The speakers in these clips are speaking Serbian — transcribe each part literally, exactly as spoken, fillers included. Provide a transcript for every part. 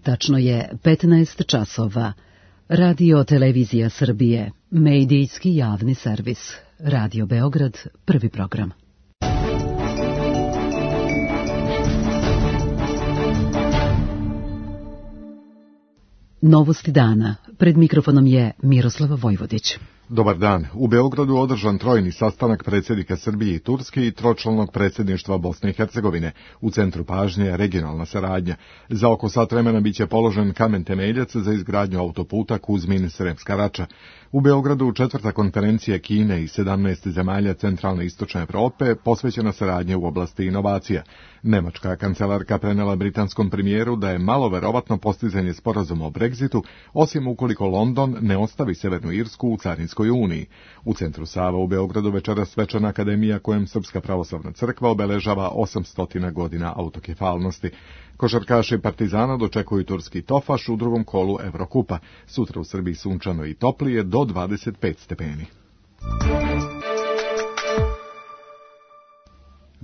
Tačno je petnaest časova. Radio Televizija Srbije, medijski javni servis. Radio Beograd, prvi program. Novosti dana. Pred mikrofonom je Miroslava Vojvodić. Dobar dan. U Beogradu održan trojni sastanak predsjednika Srbije i Turske i tročlanog predsjedništva Bosne i Hercegovine. U centru pažnje regionalna saradnja. Za oko sat vremena biće položen kamen temeljac za izgradnju autoputa Kuzmin-Sremska Rača. U Beogradu četvrta konferencija Kine i sedamnaest zemalja centralne i istočne Evrope posvećena saradnje u oblasti inovacija. Nemačka kancelarka prenela britanskom premijeru da je malo verovatno postizanje sporazuma o Brexitu, osim ukoliko London ne ostavi Severnu Irsku u Carinskoj uniji. U centru Sava u Beogradu večeras svečana akademija kojem Srpska pravoslavna crkva obeležava osamsto godina autokefalnosti. Košarkaši Partizana dočekuju turski Tofaš u drugom kolu Evrokupa. Sutra u Srbiji sunčano i toplije do dvadeset pet stepeni.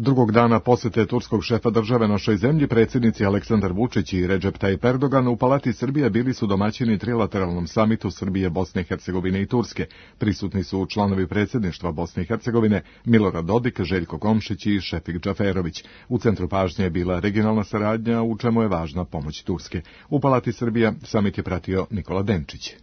Drugog dana posete turskog šefa države našoj zemlji, predsjednici Aleksandar Vučić i Recep Tayyip Erdogan u Palati Srbije bili su domaćini trilateralnom samitu Srbije, Bosne i Hercegovine i Turske. Prisutni su članovi predsjedništva Bosne i Hercegovine Milorad Dodik, Željko Komšić i Šefik Džaferović. U centru pažnje je bila regionalna saradnja, u čemu je važna pomoć Turske. U Palati Srbija samit je pratio Nikola Denčić.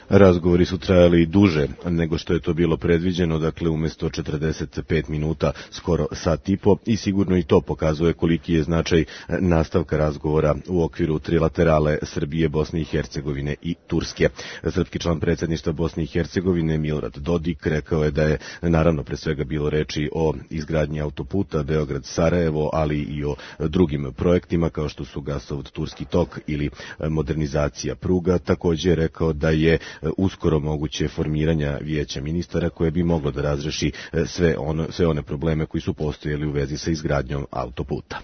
Razgovori su trajali duže nego što je to bilo predviđeno, dakle umjesto četrdeset pet minuta, skoro sat i po, i sigurno i to pokazuje koliki je značaj nastavka razgovora u okviru trilaterale Srbije, Bosne i Hercegovine i Turske. Srpski član predsjedništva Bosne i Hercegovine Milorad Dodik rekao je da je naravno pre svega bilo reči o izgradnji autoputa Beograd-Sarajevo, ali i o drugim projektima kao što su gasovod Turski tok ili modernizacija pruga. Također je rekao da je uskoro moguće formiranja vijeća ministara koje bi moglo da razreši sve, ono, sve one probleme koji su postojali u vezi sa izgradnjom autoputa.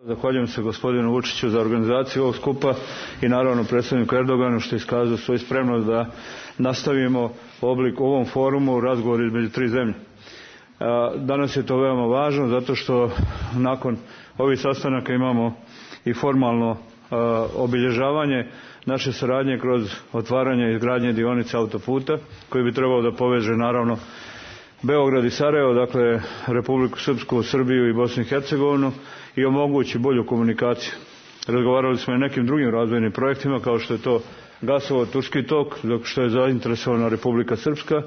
Zahvaljujem se gospodinu Vučiću za organizaciju ovog skupa i naravno predsjedniku Erdoganu što je iskazao svoju spremnost da nastavimo oblik ovom forumu razgovor između tri zemlje. Danas je to veoma važno zato što nakon ovih sastanaka imamo i formalno obilježavanje naše saradnje kroz otvaranje i izgradnje dionice autoputa koji bi trebao da poveže naravno Beograd i Sarajevo, dakle Republiku Srpsku, Srbiju i Bosnu i Hercegovinu i omogući bolju komunikaciju. Razgovarali smo i o nekim drugim razvojnim projektima kao što je to gasovod Turski tok, dok što je zainteresovana Republika Srpska,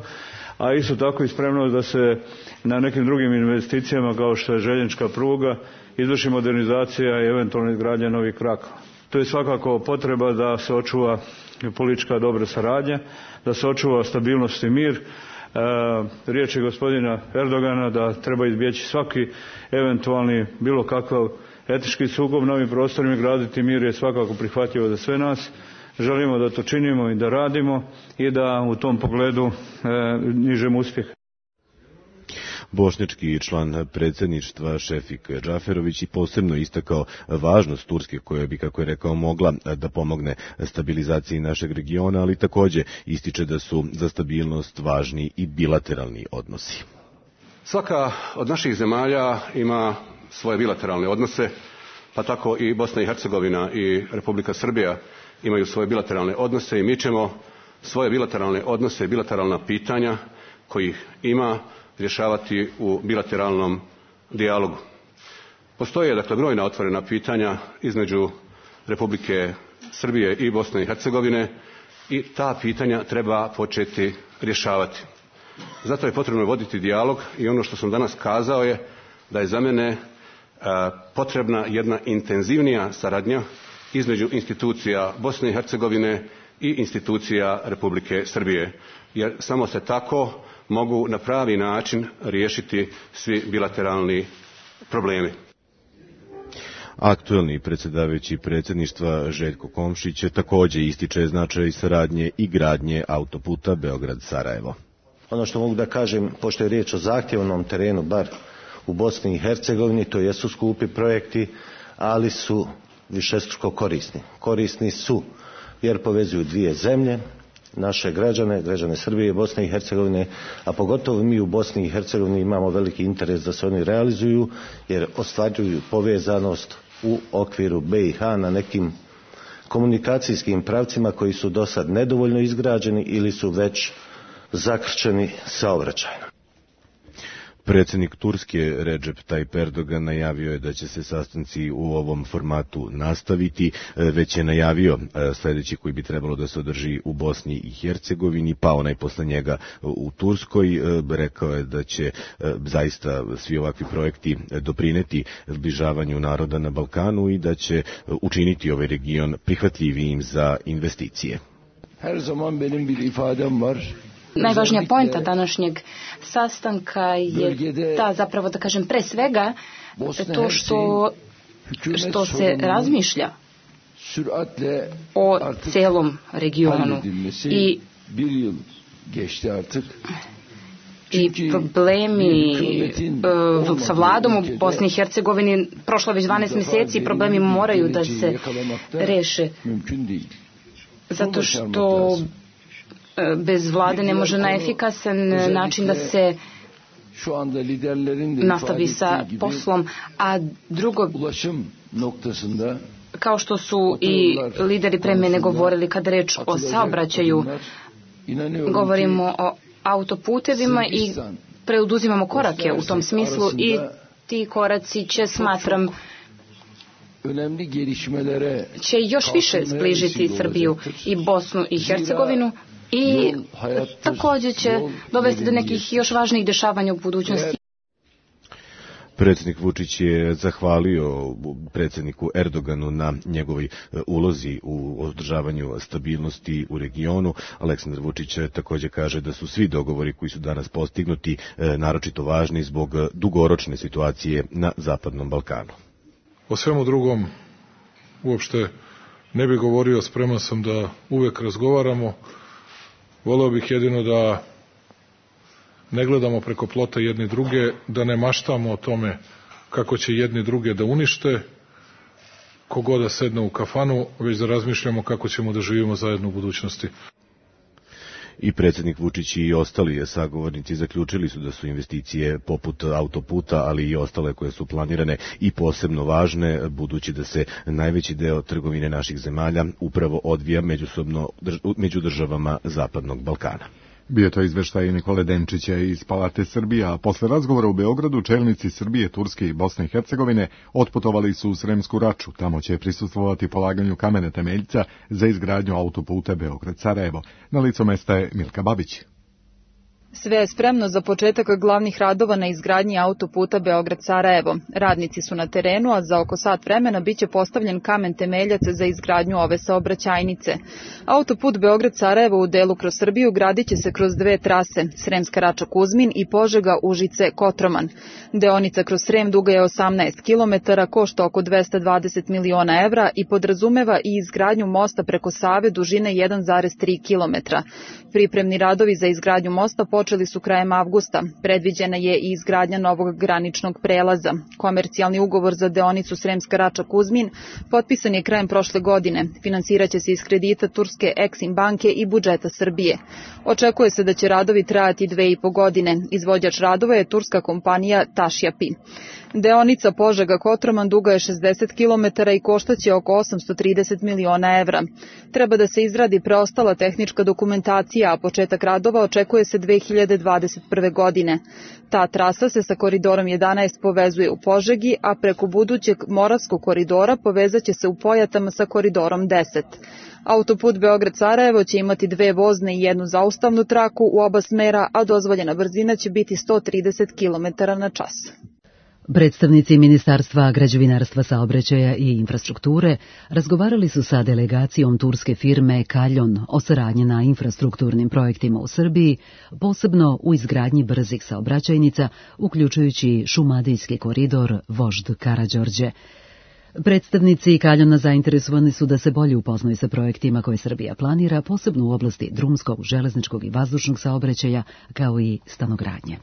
a isto tako i spremnost da se na nekim drugim investicijama kao što je željeznička pruga izvrši modernizacija i eventualno izgradnja novih krakova. To je svakako potreba da se očuva politička dobra saradnja, da se očuva stabilnost i mir. E, riječ je gospodina Erdogana da treba izbjeći svaki eventualni bilo kakav etički sukob na ovim prostorima i graditi mir je svakako prihvatljivo za sve nas. Želimo da to činimo i da radimo i da u tom pogledu e, nižemo uspjeh. Bošnjački član predsjedništva Šefik Džaferović i posebno istakao važnost Turske koja bi, kako je rekao, mogla da pomogne stabilizaciji našeg regiona, ali također ističe da su za stabilnost važni i bilateralni odnosi. Svaka od naših zemalja ima svoje bilateralne odnose, pa tako i Bosna i Hercegovina i Republika Srbija imaju svoje bilateralne odnose i mi ćemo svoje bilateralne odnose i bilateralna pitanja kojih ima rješavati u bilateralnom dijalogu. Postoje dakle brojna otvorena pitanja između Republike Srbije i Bosne i Hercegovine i ta pitanja treba početi rješavati. Zato je potrebno voditi dijalog i ono što sam danas kazao je da je za mene a, potrebna jedna intenzivnija saradnja između institucija Bosne i Hercegovine i institucija Republike Srbije, jer samo se tako mogu na pravi način riješiti svi bilateralni problemi. Aktuelni predsjedavajući predsjedništva Željko Komšić također ističe značaj saradnje i gradnje autoputa Beograd-Sarajevo. Ono što mogu da kažem, pošto je riječ o zahtjevnom terenu, bar u Bosni i Hercegovini, to jesu skupi projekti, ali su višestruko korisni. Korisni su jer povezuju dvije zemlje, naše građane, građane Srbije i Bosne i Hercegovine, a pogotovo mi u Bosni i Hercegovini imamo veliki interes da se oni realizuju, jer ostvaruju povezanost u okviru B i H na nekim komunikacijskim pravcima koji su do sad nedovoljno izgrađeni ili su već zakrčeni saobraćajno. Predsjednik Turske Recep Tayyip Erdogan najavio je da će se sastanci u ovom formatu nastaviti, već je najavio sljedeći koji bi trebalo da se održi u Bosni i Hercegovini, pa onaj posle njega u Turskoj. Rekao je da će zaista svi ovakvi projekti doprineti zbližavanju naroda na Balkanu i da će učiniti ovaj region prihvatljivijim za investicije. Her zaman benim bir ifadem var. Najvažnija poenta današnjeg sastanka je ta, zapravo da kažem pre svega, to što, što se razmišlja o celom regionu i, i problemi uh, sa vladom u Bosni i Hercegovini. Prošlo već dvanaest mjeseci i problemi moraju da se reše, zato što bez vlade ne može na efikasan način da se nastavi sa poslom, a drugo, kao što su i lideri pre mene govorili, kada reč o saobraćaju, govorimo o autoputevima i preuduzimamo korake u tom smislu i ti koraci će, smatram, će još više zbližiti Srbiju i Bosnu i Hercegovinu i također će dovesti do nekih još važnijih dešavanja u budućnosti. Predsjednik Vučić je zahvalio predsjedniku Erdoganu na njegovoj ulozi u održavanju stabilnosti u regionu. Aleksandar Vučić također kaže da su svi dogovori koji su danas postignuti naročito važni zbog dugoročne situacije na Zapadnom Balkanu. O svemu drugom uopšte ne bih govorio, spreman sam da uvek razgovaramo. Voleo bih jedino da ne gledamo preko plota jedni druge, da ne maštamo o tome kako će jedni druge da unište, kogoda da sedne u kafanu, već da razmišljamo kako ćemo da živimo zajedno u budućnosti. I predsjednik Vučić i ostali sagovornici zaključili su da su investicije poput autoputa, ali i ostale koje su planirane i posebno važne, budući da se najveći deo trgovine naših zemalja upravo odvija međusobno među državama Zapadnog Balkana. Bio to izveštaj Nikole Denčića iz Palate Srbije, a posle razgovora u Beogradu čelnici Srbije, Turske i Bosne i Hercegovine otputovali su u Sremsku Raču. Tamo će prisustvovati polaganju kamene temeljca za izgradnju autoputa Beograd-Sarajevo. Na licu mesta je Milka Babić. Sve je spremno za početak glavnih radova na izgradnji autoputa Beograd-Sarajevo. Radnici su na terenu, a za oko sat vremena biće postavljen kamen temeljac za izgradnju ove saobraćajnice. Autoput Beograd-Sarajevo u delu kroz Srbiju gradit će se kroz dve trase, Sremska Rača-Kuzmin i Požega-Užice-Kotroman. Deonica kroz Srem duga je osamnaest kilometara, košta oko dvesta dvadeset miliona evra i podrazumeva i izgradnju mosta preko Save dužine jedan zarez tri kilometra. Pripremni radovi za izgradnju mosta počeli su krajem avgusta. Predviđena je i izgradnja novog graničnog prelaza. Komercijalni ugovor za deonicu Sremska Rača-Kuzmin potpisan je krajem prošle godine. Finansiraće se iz kredita turske Eksim banke i budžeta Srbije. Očekuje se da će radovi trajati dve i po godine. Izvođač radova je turska kompanija Tašjapi. Deonica Požega-Kotroman duga je šezdeset kilometara i koštaće oko osamsto trideset miliona evra. Treba da se izradi preostala tehnička dokumentacija, a početak radova očekuje se dve hiljade dvadeset prve. godine. Ta trasa se sa koridorom jedanaest povezuje u Požegi, a preko budućeg Moravskog koridora povezaće se u Pojatama sa koridorom deset. Autoput Beograd-Sarajevo će imati dve vozne i jednu zaustavnu traku u oba smera, a dozvoljena brzina će biti sto trideset kilometara na čas. Predstavnici Ministarstva građevinarstva, saobraćaja i infrastrukture razgovarali su sa delegacijom turske firme Kaljon o saradnji na infrastrukturnim projektima u Srbiji, posebno u izgradnji brzih saobraćajnica, uključujući Šumadijski koridor Vožd Karađorđe. Predstavnici Kaljona zainteresovani su da se bolje upoznaju sa projektima koje Srbija planira, posebno u oblasti drumskog, železničkog i vazdušnog saobraćaja, kao i stanogradnje.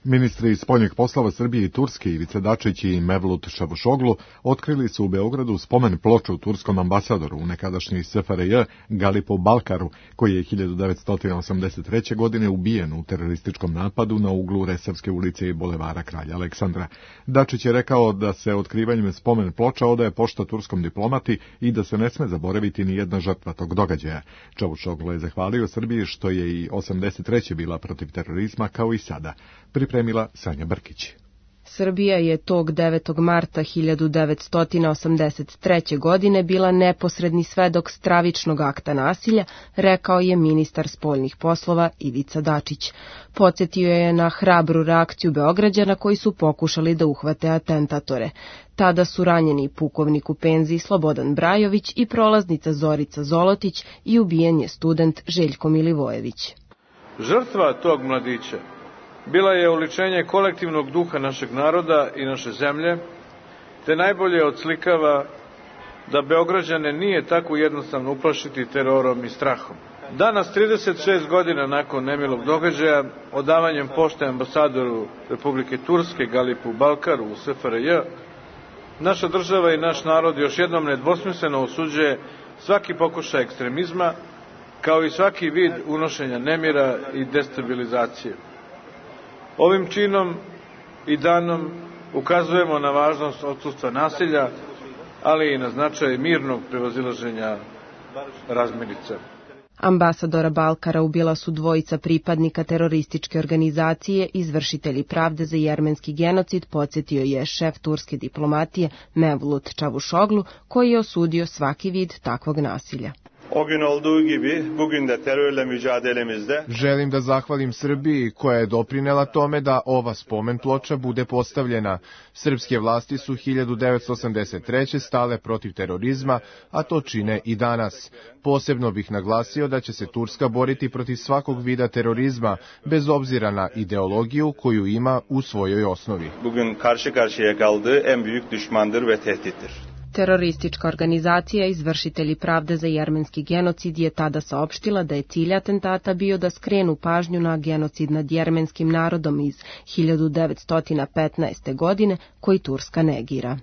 Ministri spoljnih poslova Srbije i Turske Ivica Dačić i Mevlut Čavuşoglu otkrili su u Beogradu spomen ploču turskom ambasadoru u nekadašnjoj S F R J Galipu Balkaru, koji je hiljadu devetsto osamdeset treće. godine ubijen u terorističkom napadu na uglu Resavske ulice i bulevara Kralja Aleksandra. Dačić je rekao da se otkrivanjem spomen ploča odaje pošta turskom diplomati i da se ne sme zaboraviti ni jedna žrtva tog događaja. Čavuşoglu je zahvalio Srbiji što je i osamdeset treće bila protiv terorizma kao i sada. Pripremila Sanja Brkić. Srbija je tog devetog marta hiljadu devetsto osamdeset treće. godine bila neposredni svedok stravičnog akta nasilja, rekao je ministar spoljnih poslova Ivica Dačić. Podsjetio je na hrabru reakciju Beograđana koji su pokušali da uhvate atentatore. Tada su ranjeni pukovnik u penziji Slobodan Brajović i prolaznica Zorica Zolotić i ubijen je student Željko Milivojević. Žrtva tog mladića bila je oličenje kolektivnog duha našeg naroda i naše zemlje, te najbolje odslikava da Beograđane nije tako jednostavno uplašiti terorom i strahom. Danas, trideset šest godina nakon nemilog događaja, odavanjem pošte ambasadoru Republike Turske Galipu Balkaru u S F R J, naša država i naš narod još jednom nedvosmisleno osuđuje svaki pokušaj ekstremizma, kao i svaki vid unošenja nemira i destabilizacije. Ovim činom i danom ukazujemo na važnost odsustva nasilja, ali i na značaj mirnog prevazilaženja razmirica. Ambasadora Balkara ubila su dvojica pripadnika terorističke organizacije, izvršitelji pravde za jermenski genocid, podsjetio je šef turske diplomatije Mevlut Čavuşoglu, koji je osudio svaki vid takvog nasilja. O gün olduğu gibi bugün de terörle mücadelemizde želim da zahvalim Srbiji koja je doprinela tome da ova spomen ploča bude postavljena. Srpske vlasti su hiljadu devetsto osamdeset treće. stale protiv terorizma, a to čine i danas. Posebno bih naglasio da će se Turska boriti protiv svakog vida terorizma, bez obzira na ideologiju koju ima u svojoj osnovi. Bugün karşı karşıya kaldığı en büyük düşmandır ve tehdittir. Teroristička organizacija Izvršitelji pravde za jermenski genocid je tada saopštila da je cilj atentata bio da skrenu pažnju na genocid nad jermenskim narodom iz hiljadu devetsto petnaeste. godine, koji Turska negira.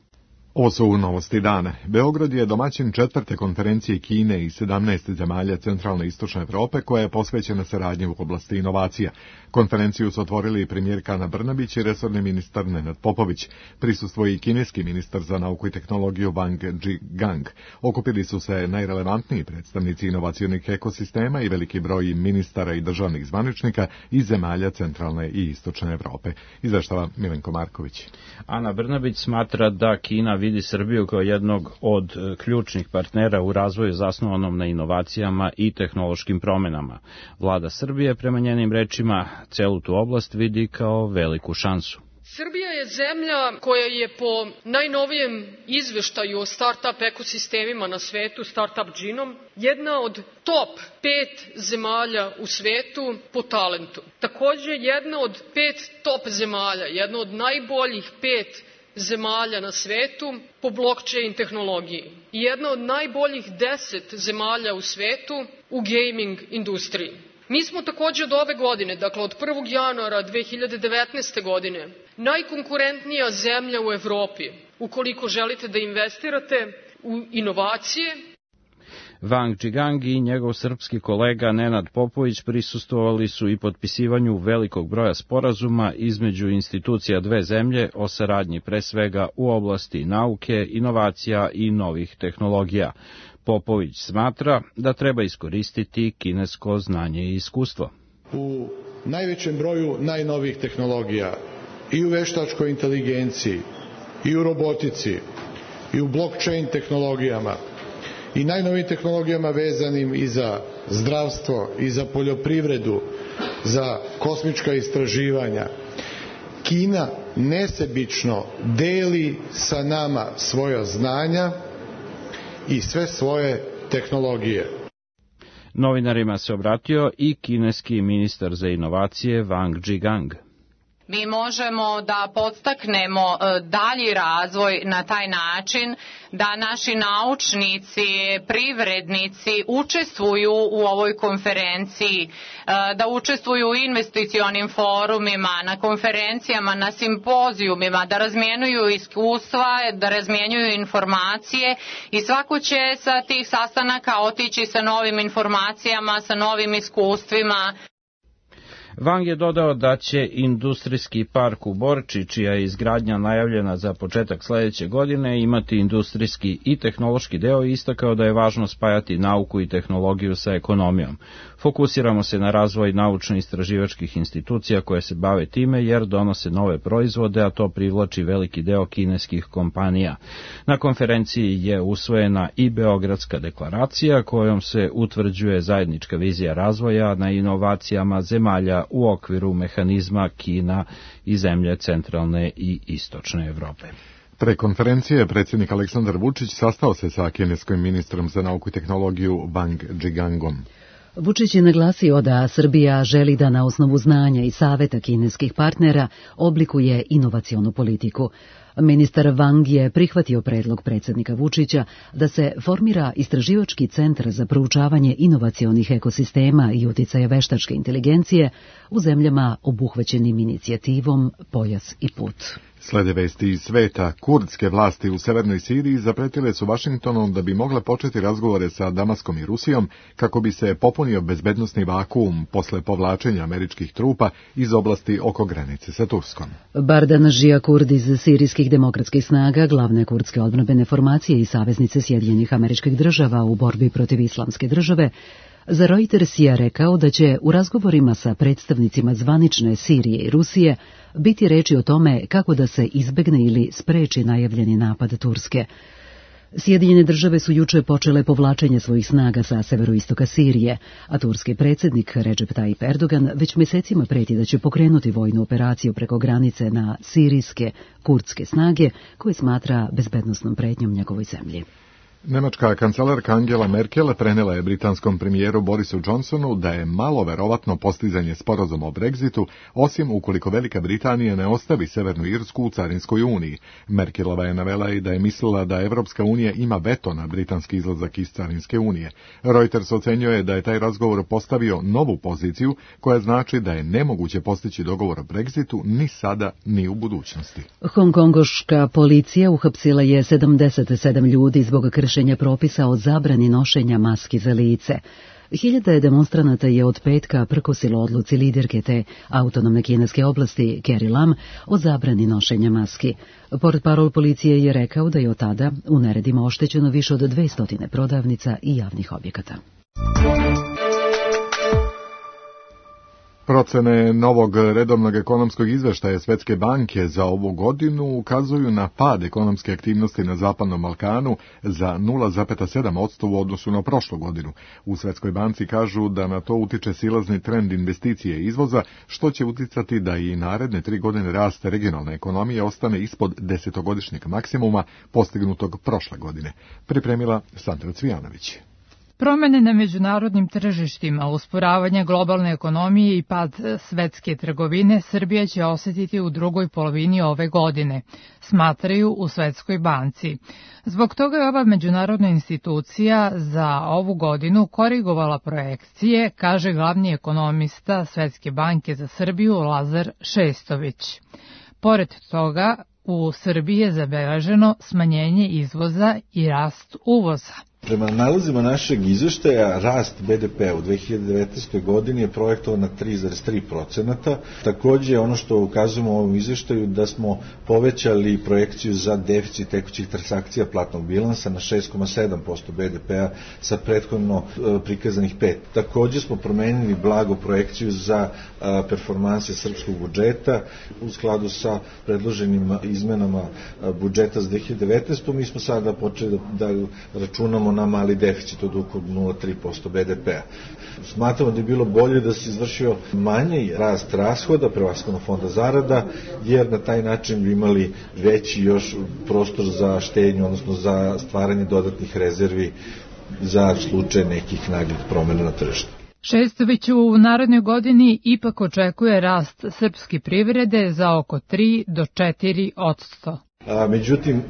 Ovo su novosti dana. Beograd je domaćin četvrte konferencije Kine i sedamnaest zemalja centralne i istočne Evrope koja je posvećena saradnji u oblasti inovacija. Konferenciju su otvorili premijerka Ana Brnabić i resorni ministar Nenad Popović. Prisustvuje i kineski ministar za nauku i tehnologiju Wang Zhigang. Okupili su se najrelevantniji predstavnici inovacionih ekosistema i veliki broj ministara i državnih zvaničnika iz zemalja centralne i istočne Evrope. Izveštava Milenko Marković. Ana Brnabić smatra da Kina vidi Srbiju kao jednog od ključnih partnera u razvoju zasnovanom na inovacijama i tehnološkim promenama. Vlada Srbije, prema njenim rečima, celu tu oblast vidi kao veliku šansu. Srbija je zemlja koja je po najnovijem izveštaju o start-up ekosistemima na svetu, Startup Genome, jedna od top pet zemalja u svetu po talentu. Takođe, jedna od pet top zemalja, jedna od najboljih pet zemalja na svetu po blockchain tehnologiji i jedna od najboljih deset zemalja u svetu u gaming industriji. Mi smo takođe od ove godine, dakle od prvog januara dve hiljade devetnaeste. godine, najkonkurentnija zemlja u Evropi ukoliko želite da investirate u inovacije. Wang Zhigang i njegov srpski kolega Nenad Popović prisustvovali su i potpisivanju velikog broja sporazuma između institucija dve zemlje o saradnji pre svega u oblasti nauke, inovacija i novih tehnologija. Popović smatra da treba iskoristiti kinesko znanje i iskustvo. U najvećem broju najnovijih tehnologija i u veštačkoj inteligenciji, i u robotici, i u blockchain tehnologijama, i najnovijim tehnologijama vezanim i za zdravstvo, i za poljoprivredu, za kosmička istraživanja. Kina nesebično deli sa nama svoja znanja i sve svoje tehnologije. Novinarima se obratio i kineski ministar za inovacije Wang Zhigang. Mi možemo da podstaknemo dalji razvoj na taj način da naši naučnici, privrednici učestvuju u ovoj konferenciji, da učestvuju u investicionim forumima, na konferencijama, na simpozijumima, da razmjenjuju iskustva, da razmjenjuju informacije i svako će sa tih sastanaka otići sa novim informacijama, sa novim iskustvima. Wang je dodao da će industrijski park u Borči, čija je izgradnja najavljena za početak sledeće godine, imati industrijski i tehnološki deo i istakao da je važno spajati nauku i tehnologiju sa ekonomijom. Fokusiramo se na razvoj naučno-istraživačkih institucija koje se bave time jer donose nove proizvode, a to privlači veliki deo kineskih kompanija. Na konferenciji je usvojena i Beogradska deklaracija kojom se utvrđuje zajednička vizija razvoja na inovacijama zemalja u okviru mehanizma Kina i zemlje centralne i istočne Evrope. Pre konferencije predsjednik Aleksandar Vučić sastao se sa kineskim ministrom za nauku i tehnologiju Wang Zhigangom. Vučić je naglasio da Srbija želi da na osnovu znanja i saveta kineskih partnera oblikuje inovacionu politiku. Ministar Wang je prihvatio predlog predsjednika Vučića da se formira istraživački centar za proučavanje inovacionih ekosistema i uticaja veštačke inteligencije u zemljama obuhvaćenim inicijativom Pojas i put. Slede vesti iz sveta, kurdske vlasti u severnoj Siriji zapretile su Vašingtonom da bi mogle početi razgovore sa Damaskom i Rusijom kako bi se popunio bezbednosni vakuum posle povlačenja američkih trupa iz oblasti oko granice sa Turskom. Bardan Žija Kurd iz sirijskih demokratskih snaga, glavne kurdske odbrambene formacije i saveznice Sjedinjenih Američkih Država u borbi protiv islamske države, za Reuters je rekao da će u razgovorima sa predstavnicima zvanične Sirije i Rusije biti reči o tome kako da se izbegne ili spreči najavljeni napad Turske. Sjedinjene države su juče počele povlačenje svojih snaga sa severoistoka Sirije, a turski predsjednik Recep Tayyip Erdogan već mjesecima preti da će pokrenuti vojnu operaciju preko granice na sirijske kurdske snage koje smatra bezbednosnom pretnjom njegovoj zemlji. Nemačka kancelarka Angela Merkel prenela je britanskom premijeru Borisu Johnsonu da je malo verovatno postizanje sporazuma o Brexitu, osim ukoliko Velika Britanija ne ostavi Severnu Irsku u Carinskoj uniji. Merkelova je navela i da je mislila da Evropska unija ima veto na britanski izlazak iz Carinske unije. Reuters ocenjuje da je taj razgovor postavio novu poziciju koja znači da je nemoguće postići dogovor o Brexitu ni sada ni u budućnosti. Hongkongoška policija uhapsila je sedamdeset sedam ljudi zbog kršenja propisa o zabrani nošenja maski za lice. Hiljade demonstranata je od petka prkosilo odluci liderke te autonomne kineske oblasti Carrie Lam o zabrani nošenja maski. Portparol policije je rekao da je od tada u neredima oštećeno više od dvesta prodavnica i javnih objekata. Procene novog redovnog ekonomskog izveštaja Svetske banke za ovu godinu ukazuju na pad ekonomske aktivnosti na Zapadnom Balkanu za nula zarez sedam posto u odnosu na prošlu godinu. U Svetskoj banci kažu da na to utiče silazni trend investicije i izvoza, što će uticati da i naredne tri godine rast regionalne ekonomije ostane ispod desetogodišnjeg maksimuma postignutog prošle godine. Pripremila Sandra Cvijanović. Promene na međunarodnim tržištima, usporavanje globalne ekonomije i pad svetske trgovine Srbija će osetiti u drugoj polovini ove godine, smatraju u Svetskoj banci. Zbog toga je ova međunarodna institucija za ovu godinu korigovala projekcije, kaže glavni ekonomista Svetske banke za Srbiju Lazar Šestović. Pored toga, u Srbiji je zabeleženo smanjenje izvoza i rast uvoza. Prema nalazima našeg izveštaja, rast be de pe u dve hiljade devetnaestoj godini je projektovan na tri zarez tri posto. Takođe, ono što ukazujemo u ovom izveštaju, da smo povećali projekciju za deficit tekućih transakcija platnog bilansa na šest zarez sedam posto be de pe-a sa prethodno prikazanih pet. Takođe smo promenili blago projekciju za performanse srpskog budžeta u skladu sa predloženim izmenama budžeta za dve hiljade devetnaestu. Mi smo sada počeli da, da računamo na mali deficit od oko nula zarez tri posto be de pe-a. Smatramo da je bilo bolje da se izvršio manji rast rashoda, prevashodno fonda zarada, jer na taj način bi imali veći još prostor za štednju, odnosno za stvaranje dodatnih rezervi za slučaj nekih naglih promjena na tržištu. Šestović u narednoj godini ipak očekuje rast srpske privrede za oko tri do četiri odsto. A, međutim,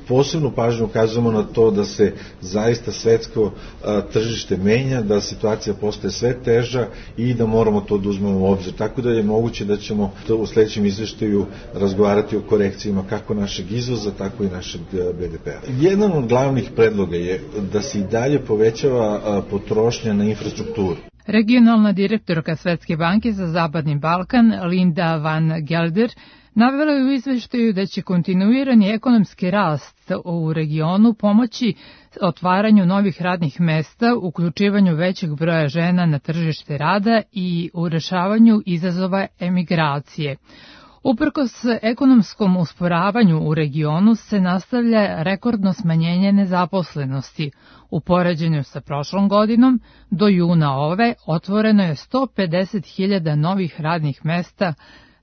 posebnu pažnju ukazujemo na to da se zaista svetsko a, tržište menja, da situacija postaje sve teža i da moramo to da uzmemo u obzir. Tako da je moguće da ćemo to u sledećem izveštaju razgovarati o korekcijama kako našeg izvoza, tako i našeg be de pe-a. Jedan od glavnih predloga je da se i dalje povećava a, potrošnja na infrastrukturu. Regionalna direktorka Svetske banke za Zapadni Balkan, Linda van Gelder, navela je u izveštaju da će kontinuirani ekonomski rast u regionu pomoći otvaranju novih radnih mesta, uključivanju većeg broja žena na tržište rada i u rešavanju izazova emigracije. Uprkos ekonomskom usporavanju u regionu se nastavlja rekordno smanjenje nezaposlenosti. U poređenju sa prošlom godinom, do juna ove otvoreno je sto pedeset hiljada novih radnih mesta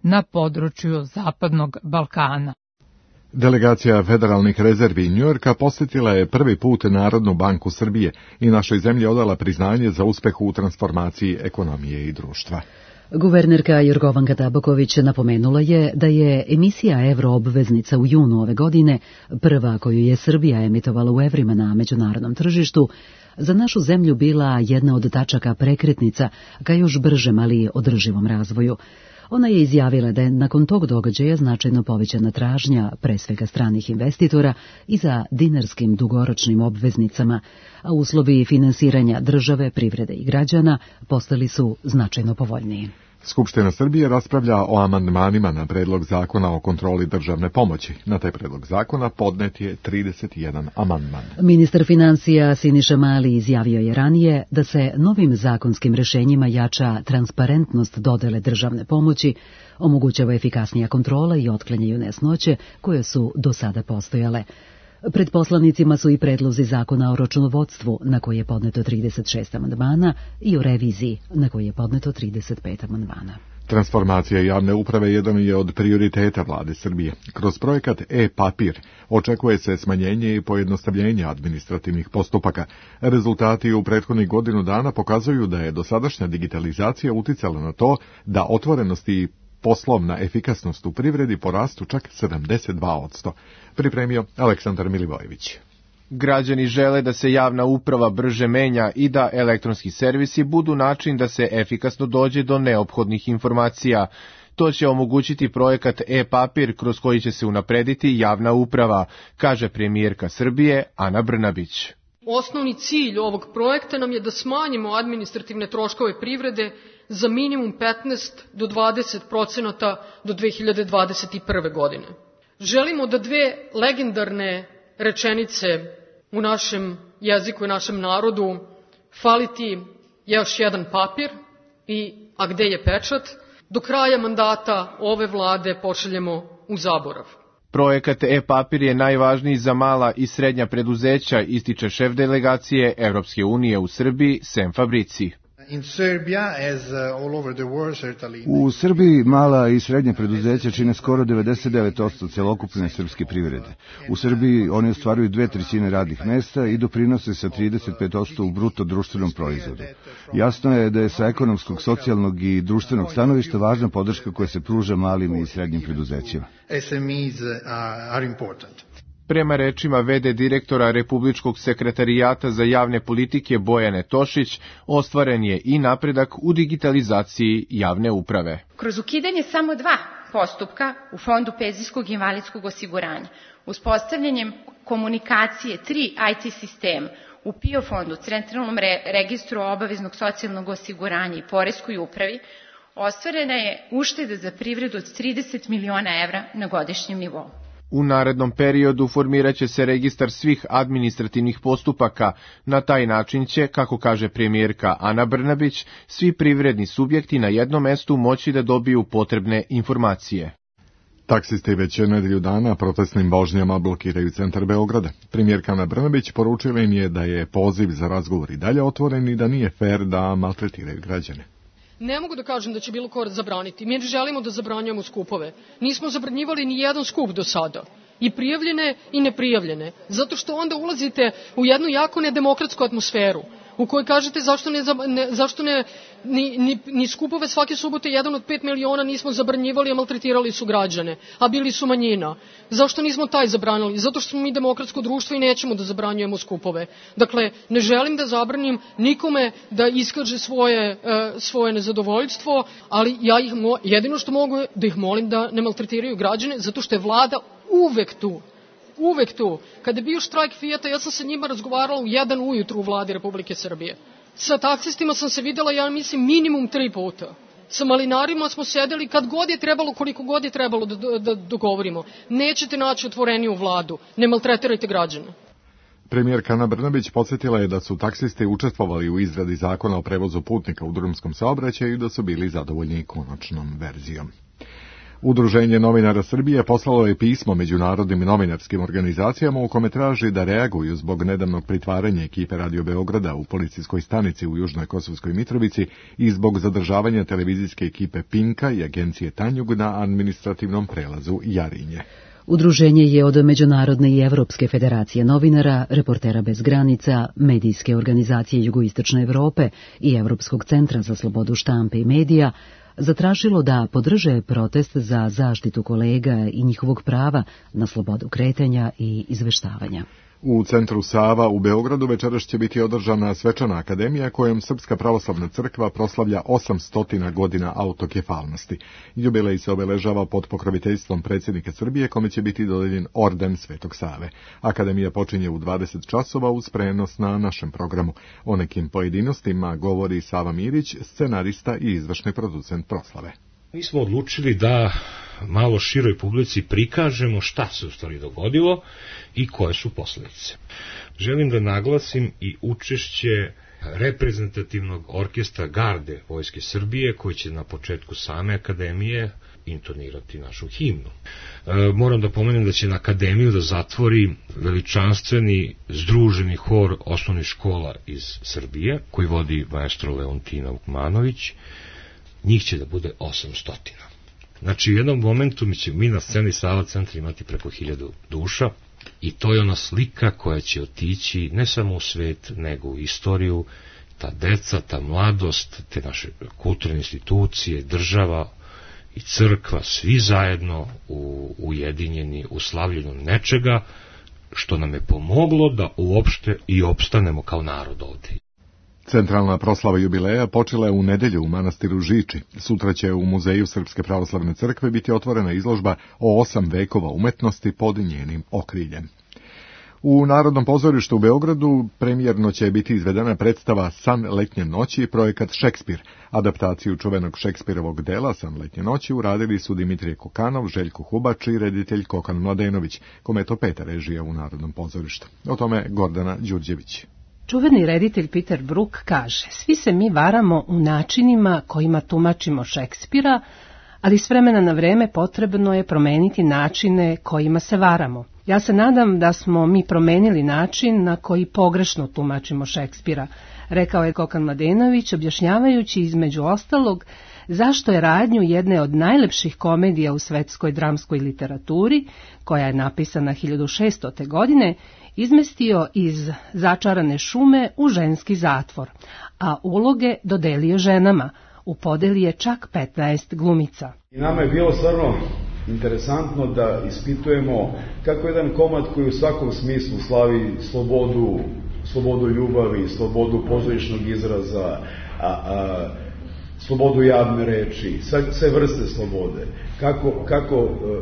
na području Zapadnog Balkana. Delegacija federalnih rezervi Njujorka posjetila je prvi put Narodnu banku Srbije i našoj zemlji odala priznanje za uspeh u transformaciji ekonomije i društva. Guvernerka Jorgovanka Tabaković napomenula je da je emisija evroobveznica u junu ove godine, prva koju je Srbija emitovala u evrima na međunarodnom tržištu, za našu zemlju bila jedna od tačaka prekretnica ka još bržem, ali održivom razvoju. Ona je izjavila da je nakon tog događaja značajno povećana tražnja, pre svega stranih investitora, i za dinarskim dugoročnim obveznicama, a uslovi finansiranja države, privrede i građana postali su značajno povoljniji. Skupština Srbije raspravlja o amandmanima na predlog zakona o kontroli državne pomoći. Na taj predlog zakona podnet je trideset jedan amandman. Ministar finansija Siniša Mali izjavio je ranije da se novim zakonskim rešenjima jača transparentnost dodele državne pomoći, omogućava efikasnija kontrola i otklanjaju nesnoće koje su do sada postojale. Pred poslanicima su i predlozi zakona o računovodstvu, na koji je podneto trideset šest amandmana, i o reviziji, na koji je podneto trideset pet amandmana. Transformacija javne uprave jedan je od prioriteta vlade Srbije. Kroz projekat e-papir očekuje se smanjenje i pojednostavljenje administrativnih postupaka. Rezultati u prethodnih godinu dana pokazuju da je dosadašnja digitalizacija uticala na to da otvorenost i poslovna efikasnost u privredi porastu čak sedamdeset dva odsto. Pripremio Aleksandar Milivojević. Građani žele da se javna uprava brže menja i da elektronski servisi budu način da se efikasno dođe do neophodnih informacija. To će omogućiti projekat e-papir kroz koji će se unaprediti javna uprava, kaže premijerka Srbije Ana Brnabić. Osnovni cilj ovog projekta nam je da smanjimo administrativne troškove privrede za minimum petnaest do dvadeset procenata do dve hiljade dvadeset prve. godine. Želimo da dve legendarne rečenice u našem jeziku i našem narodu, fali ti još jedan papir i a gde je pečat, do kraja mandata ove vlade pošaljemo u zaborav. Projekat e-papir je najvažniji za mala i srednja preduzeća, ističe šef delegacije Evropske unije u Srbiji, Sem Fabrici. U Srbiji mala i srednja preduzeća čine skoro devedeset devet odsto celokupne srpske privrede. U Srbiji oni ostvaruju dve trećine radnih mesta i doprinose sa trideset pet odsto u bruto društvenom proizvodu. Jasno je da je sa ekonomskog, socijalnog i društvenog stanovišta važna podrška koja se pruža malim i srednjim preduzećima. Prema rečima ve de direktora Republičkog sekretarijata za javne politike Bojane Tošić, ostvaren je i napredak u digitalizaciji javne uprave. Kroz ukidanje samo dva postupka u Fondu penzijskog i invalidskog osiguranja, uspostavljanjem komunikacije tri i te sistema u pe i o fondu, Centralnom registru obaveznog socijalnog osiguranja i Poreskoj upravi, ostvarena je ušteda za privredu od trideset miliona evra na godišnjem nivou. U narednom periodu formirat će se registar svih administrativnih postupaka. Na taj način će, kako kaže premijerka Ana Brnabić, svi privredni subjekti na jednom mestu moći da dobiju potrebne informacije. Taksisti već nedelju dana protestnim vožnjama blokiraju centar Beograda. Premijerka Ana Brnabić poručila im je da je poziv za razgovor i dalje otvoren i da nije fer da maltretiraju građane. Ne mogu da kažem da će bilo ko zabraniti. Mi želimo da zabranjujemo skupove. Nismo zabranjivali ni jedan skup do sada. I prijavljene i neprijavljene. Zato što onda ulazite u jednu jako nedemokratsku atmosferu. u kojoj kažete zašto ne, ne, zašto ne ni, ni, ni skupove svake subote jedan od pet miliona nismo zabranjivali, a maltretirali su građane, a bili su manjina. Zašto nismo taj zabranili? Zato što smo mi demokratsko društvo i nećemo da zabranjujemo skupove. Dakle, ne želim da zabranim nikome da iskaže svoje, uh, svoje nezadovoljstvo, ali ja ih mo, jedino što mogu je da ih molim da ne maltretiraju građane, zato što je vlada uvek tu. Uvek tu. Kada je bio štrajk Fijata, ja sam sa njima razgovarala u jedan ujutru u vladi Republike Srbije. Sa taksistima sam se videla, ja mislim, minimum tri puta. Sa malinarima smo sedeli kad god je trebalo, koliko god je trebalo da, da, da dogovorimo. Nećete naći otvoreniju vladu. Ne maltretirajte građane. Premijerka Ana Brnabić podsjetila je da su taksisti učestvovali u izradi zakona o prevozu putnika u drumskom saobraćaju i da su bili zadovoljni konačnom verzijom. Udruženje novinara Srbije poslalo je pismo međunarodnim novinarskim organizacijama u kome traži da reaguju zbog nedavnog pritvaranja ekipe Radio Beograda u policijskoj stanici u Južnoj Kosovskoj Mitrovici i zbog zadržavanja televizijske ekipe Pinka i agencije Tanjug na administrativnom prelazu Jarinje. Udruženje je od Međunarodne i Evropske federacije novinara, Reportera bez granica, Medijske organizacije Jugoistočne Evrope i Evropskog centra za slobodu štampe i medija zatražilo da podrže protest za zaštitu kolega i njihovog prava na slobodu kretanja i izveštavanja. U centru Sava u Beogradu večeras će biti održana svečana akademija kojom Srpska pravoslavna crkva proslavlja osamsto godina autokefalnosti. Jubilej se obeležava pod pokroviteljstvom predsjednika Srbije, kome će biti dodeljen orden Svetog Save. Akademija počinje u dvadeset časova uz prenos na našem programu. O nekim pojedinostima govori Sava Mirić, scenarista i izvršni producent proslave. Mi smo odlučili da malo široj publici prikažemo šta se u stvari dogodilo i koje su posljedice. Želim da naglasim i učešće reprezentativnog orkestra Garde Vojske Srbije, koji će na početku same akademije intonirati našu himnu. E, moram da pomenem da će na akademiju da zatvori veličanstveni združeni hor osnovnih škola iz Srbije, koji vodi maestro Leontina Vukmanović. Njih će da bude osamsto. Znači, u jednom momentu mi će mi na sceni Sava centra imati preko hiljadu duša i to je ona slika koja će otići ne samo u svet, nego u istoriju, ta deca, ta mladost, te naše kulturne institucije, država i crkva, svi zajedno u, ujedinjeni u slavljenju nečega što nam je pomoglo da uopšte i opstanemo kao narod ovde. Centralna proslava jubileja počela je u nedelju u manastiru Žiči. Sutra će u Muzeju Srpske pravoslavne crkve biti otvorena izložba o osam vekova umetnosti pod njenim okriljem. U Narodnom pozorištu u Beogradu premijerno će biti izvedena predstava San letnje noći, projekat Šekspir. Adaptaciju čuvenog Šekspirovog dela San letnje noći uradili su Dimitrije Kokanov, Željko Hubač i reditelj Kokan Mladenović, kome je to peta režija u Narodnom pozorištu. O tome Gordana Đurđević. Čuveni reditelj Peter Brook kaže: svi se mi varamo u načinima kojima tumačimo Šekspira, ali s vremena na vreme potrebno je promeniti načine kojima se varamo. Ja se nadam da smo mi promenili način na koji pogrešno tumačimo Šekspira, rekao je Kokan Mladenović, objašnjavajući između ostalog zašto je radnju jedne od najlepših komedija u svetskoj dramskoj literaturi, koja je napisana hiljadu šeststote. godine, izmestio iz začarane šume u ženski zatvor, a uloge dodelio ženama. U podeli je čak petnaest glumica. I nama je bilo stvarno interesantno da ispitujemo kako jedan komad koji u svakom smislu slavi slobodu, slobodu ljubavi, slobodu pozorišnog izraza, a, a, slobodu javne reči, sve, sve vrste slobode, kako, kako uh, uh,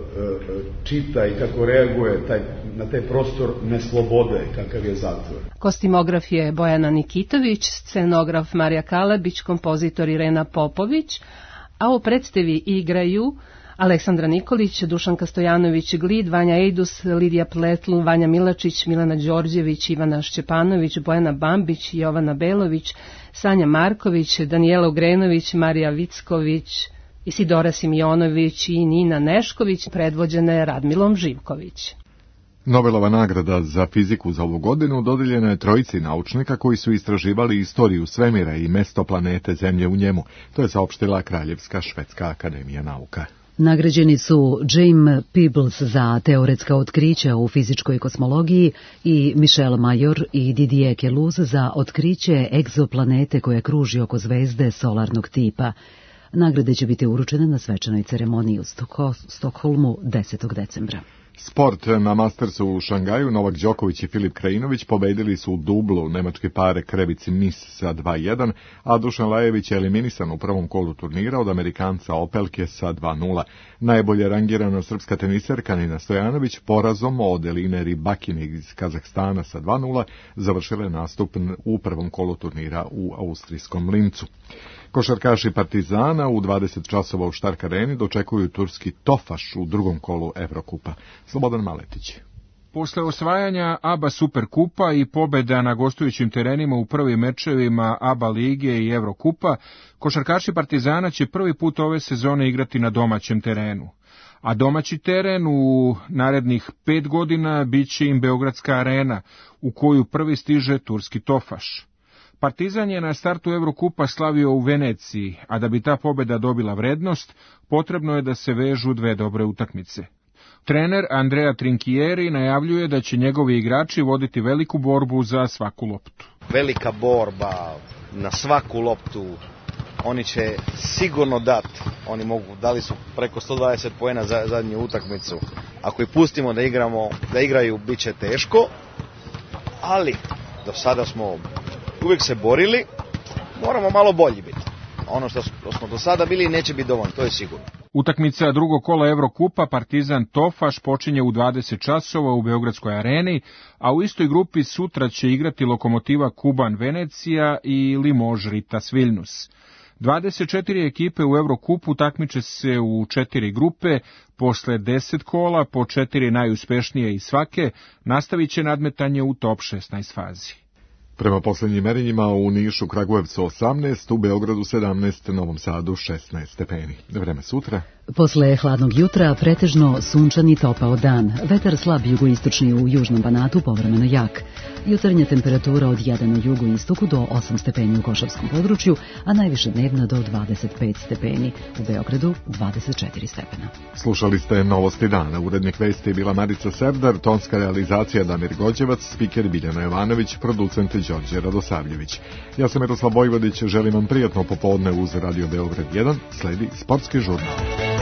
čita i kako reaguje taj, na taj prostor neslobode kakav je zatvor. Kostimograf je Bojana Nikitović, scenograf Marija Kalabić, kompozitor Irena Popović, a u predstavi igraju Aleksandra Nikolić, Dušanka Stojanović Glid, Vanja Ejdus, Lidija Pletl, Vanja Milačić, Milana Đorđević, Ivana Šćepanović, Bojana Bambić, Jovana Belović, Sanja Marković, Danijela Ugrenović, Marija Vicković, Isidora Simjonović i Nina Nešković, predvođene Radmilom Živković. Nobelova nagrada za fiziku za ovu godinu dodeljena je trojici naučnika koji su istraživali istoriju svemira i mesto planete Zemlje u njemu. To je saopštila Kraljevska švedska akademija nauka. Nagrađeni su James Peebles za teoretska otkrića u fizičkoj kosmologiji i Michel Mayor i Didier Queloz za otkriće egzoplanete koja kruži oko zvezde solarnog tipa. Nagrade će biti uručene na svečanoj ceremoniji u Stokholmu desetog decembra. Sport na Mastersu u Šangaju, Novak Đoković i Filip Krajinović pobedili su u dublu nemačke pare Krebici Nis sa dva jedan, a Dušan Lajević je eliminisan u prvom kolu turnira od Amerikanca Opelke sa dva nula. Najbolje rangirana srpska teniserka Nina Stojanović porazom od Eline Rybakine iz Kazahstana sa dva nula završila nastup u prvom kolu turnira u austrijskom Lincu. Košarkaši Partizana u dvadeset časova u Štark Areni dočekuju turski Tofaš u drugom kolu Evrokupa. Slobodan Maletić. Posle osvajanja A B A Superkupa i pobeda na gostujućim terenima u prvim mečevima A B A lige i Evrokupa, košarkaši Partizana će prvi put ove sezone igrati na domaćem terenu. A domaći teren u narednih pet godina biće im Beogradska arena, u koju prvi stiže turski Tofaš. Partizan je na startu Evrokupa slavio u Veneciji, a da bi ta pobeda dobila vrednost, potrebno je da se vežu dve dobre utakmice. Trener Andrea Trinchieri najavljuje da će njegovi igrači voditi veliku borbu za svaku loptu. Velika borba na svaku loptu, oni će sigurno dati, oni mogu, dali su preko sto dvadeset poena za zadnju utakmicu. Ako ih pustimo da igramo, da igraju, bit će teško, ali do sada smo uvijek se borili, moramo malo bolji biti. Ono što smo do sada bili neće biti dovoljno, to je sigurno. Utakmica drugog kola Evrokupa Partizan Tofaš počinje u dvadeset časova u Beogradskoj areni, a u istoj grupi sutra će igrati Lokomotiva Kuban Venecija i Limož Ritas Vilnius. dvadeset četiri ekipe u Evrokupu takmiče se u četiri grupe, posle deset kola, po četiri najuspešnije iz svake, nastavit će nadmetanje u top šesnaest fazi. Prema posljednjim merenjima u Nišu, Kragujevcu osamnaest, u Beogradu sedamnaest, Novom Sadu šesnaest stepeni. Vreme sutra. Posle hladnog jutra pretežno sunčan i topao dan. Vetar slab jugoistočni u južnom Banatu, povremeno jak. Jutarnja temperatura od jedan u jugoistoku do osam stepeni u Košavskom području, a najviše dnevna do dvadeset pet stepeni. U Beogradu dvadeset četiri stepena. Slušali ste Novosti dana. Urednik vesti je bila Marica Serdar, tonska realizacija Damir Gođevac, spiker Biljana Jovanović, producent Đorđe Radosavljević. Ja sam Miroslav Vojvodić, želim vam prijatno popodne uz Radio Beograd jedan, sledi sportski žurnal.